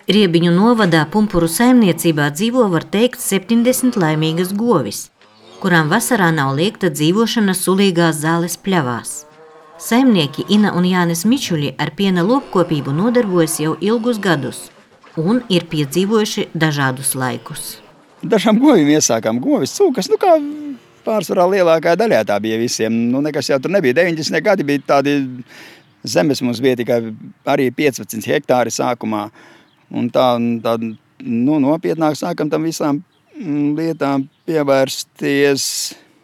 Riebiņu novadā Pumpuru saimniecībā dzīvo, var teikt, 70 laimīgas govis, kurām vasarā nav liekta dzīvošana sulīgās zāles pļavās. Saimnieki Ina un Jānis Mičuļi ar piena lopkopību nodarbojas jau ilgus gadus un ir piedzīvojuši dažādus laikus. Dažām govīm iesākām govis cūkas, kā pārsvarā lielākā daļā tā bija visiem. Nekas jau tur nebija. 90. gadi bija tādi zemes, mums bija tikai arī 15 hektāri sākumā. Un tā nopietnāk sākam tam visām lietām pievērsties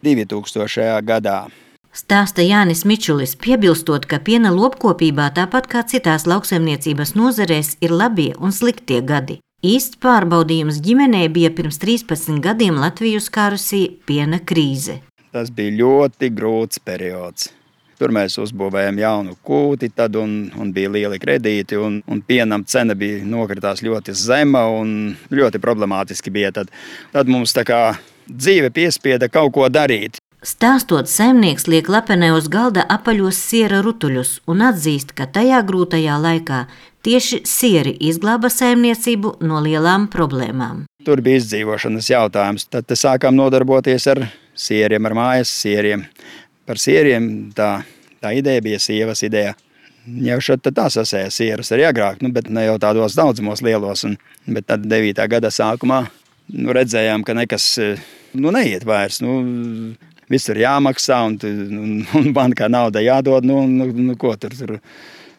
2000. gadā. Stāsta Jānis Mičulis, piebilstot, ka piena lopkopībā tāpat kā citās lauksaimniecības nozarēs ir labie un sliktie gadi. Īsts pārbaudījums ģimenē bija pirms 13 gadiem Latviju skārusī piena krīze. Tas bija ļoti grūts periods. Tur mēs uzbūvējām jaunu kūti, tad un bija lieli kredīti, un pienam cena bija nokritās ļoti zema un ļoti problemātiski bija. Tad mums tā kā dzīve piespieda kaut ko darīt. Stāstot, saimnieks liek lapenē uz galda apaļos siera rutuļus un atzīst, ka tajā grūtajā laikā tieši sieri izglāba saimniecību no lielām problēmām. Tur bija izdzīvošanas jautājums. Tad sākām nodarboties ar sieriem, ar mājas sieriem. Par sieriem tā ideja bija sievas ideja. Jau šeit tā sasēja sierus arī agrāk, bet ne jau tādos daudzumos lielos. Bet tad 9. gada sākumā redzējām, ka nekas neiet vairs. Visur jāmaksā un bankā nauda jādod. Ko tur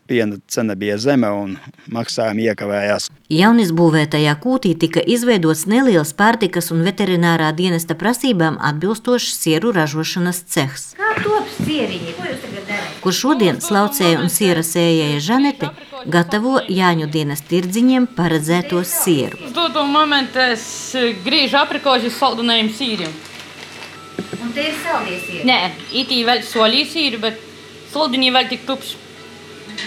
piena cena bija zeme un maksājumi iekavējās. Jaunisbūvētajā kūtī tika izveidots neliels pārtikas un veterinārā dienesta prasībām atbilstošs sieru ražošanas cehs. Kā top sieriņi? Ko jūs tagad darāt? Kur šodien slaucēja un siera sējēja Žanete gatavo Jāņu dienas tirdziņiem paredzēto sieru. Uz to momentu es griežu aprikožu saldunējiem sīriem. Un te ir saldie sieri? Nē, itī vēl solī sīri, bet saldiņi vēl tik tupši.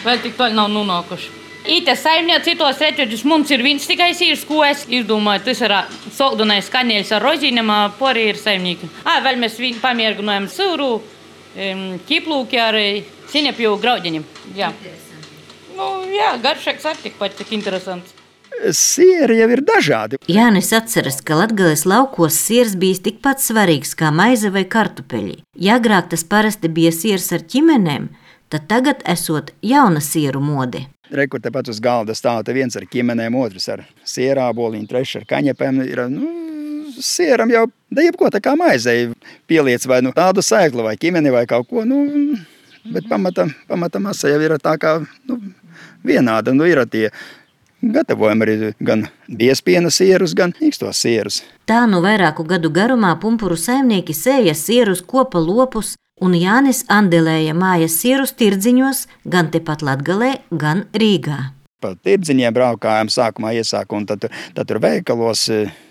Vēl tik toļi nav nonākuši. Ite saimniec citos reķeģus mums ir viens tikai sīrs, ko es izdomāju. Tas ir saldunais kaņēļs ar rozīniem, pori ir saimnieki. Vēl mēs pamiergunojam sūru, ķiplūki ar sinepju graudiņiem. Jā. Garšēks arī tik interesants. Sieri jau ir dažādi. Jānis atceras, ka Latgales laukos siers bijis tikpat svarīgs kā maize vai kartupeļi. Ja agrāk tas parasti bija siers ar ķimenēm, tad tagad esot jauna sieru mode. Rekur tepat uz galda stāv viens ar ķimenēm, otrs ar sierāboliņu, trešs ar kaņepēm. Sieram jau jebko tā kā maizei pieliec vai tādu sēklu vai ķimeni vai kaut ko. Bet pamata masa jau ir tā kā vienāda. Ir tie gatavojam arī gan biespiena sierus, gan īkstos sierus. Tā vairāku gadu garumā Pumpuru saimnieki sēja sierus, kopa lopus, un Jānis andelēja mājas sierus tirdziņos gan tepat Latgalē, gan Rīgā. Pa tirdziņiem braukājām sākumā iesāku, un tad tur veikalos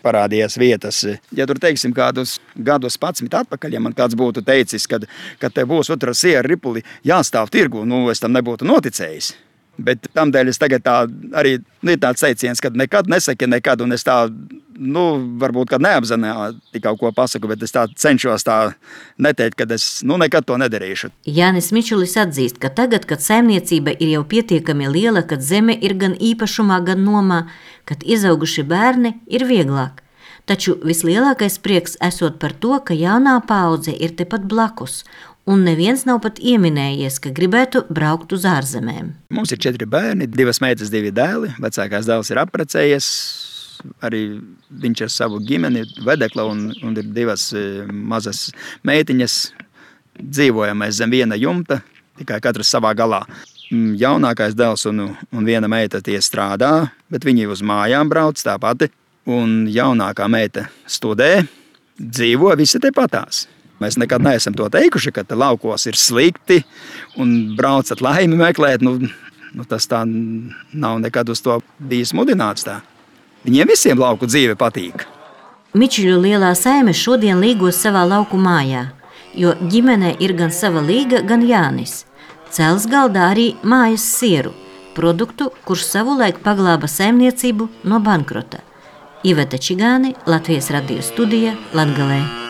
parādījās vietas. Ja tur, teiksim, kādus gadus 11 atpakaļ, ja man kāds būtu teicis, kad te būs otra siera ripuli jāstāv tirgu, es tam nebūtu noticējis. Bet tamdēļ es tagad arī ir tāds teiciens, ka nekad nesaki nekad, un es varbūt, kad neapzināti kaut ko pasaku, bet es cenšos neteikt, ka es nekad to nedarīšu. Jānis Mičulis atzīst, ka tagad, kad saimniecība ir jau pietiekami liela, kad zeme ir gan īpašumā, gan nomā, kad izauguši bērni, ir vieglāk. Taču vislielākais prieks esot par to, ka jaunā paudze ir tepat blakus, un neviens nav pat ieminējies, ka gribētu braukt uz ārzemēm. Mums ir 4 bērni, 2 meitas, 2 dēli. Vecākais dēls ir apprecējies, arī viņš ar savu ģimeni, vedekla, un ir 2 mazas meitiņas. Dzīvojam mēs zem viena jumta, tikai katrs savā galā. Jaunākais dēls un viena meita tie strādā, bet viņi uz mājām brauc tāpati. Un jaunākā meita studē, dzīvo visi tepatās. Mēs nekad neesam to teikuši, ka laukos ir slikti un braucat laimi meklēt. Tas tā nav nekad uz to bijis mudināts tā. Viņiem visiem lauku dzīve patīk. Mičuļu lielā saime šodien līgos savā lauku mājā, jo ģimenē ir gan sava līga, gan Jānis. Cels galdā arī mājas sieru, produktu, kurš savulaik paglāba saimniecību no bankrota. Iveta Čigāni, Latvijas radio studija, Latgalē.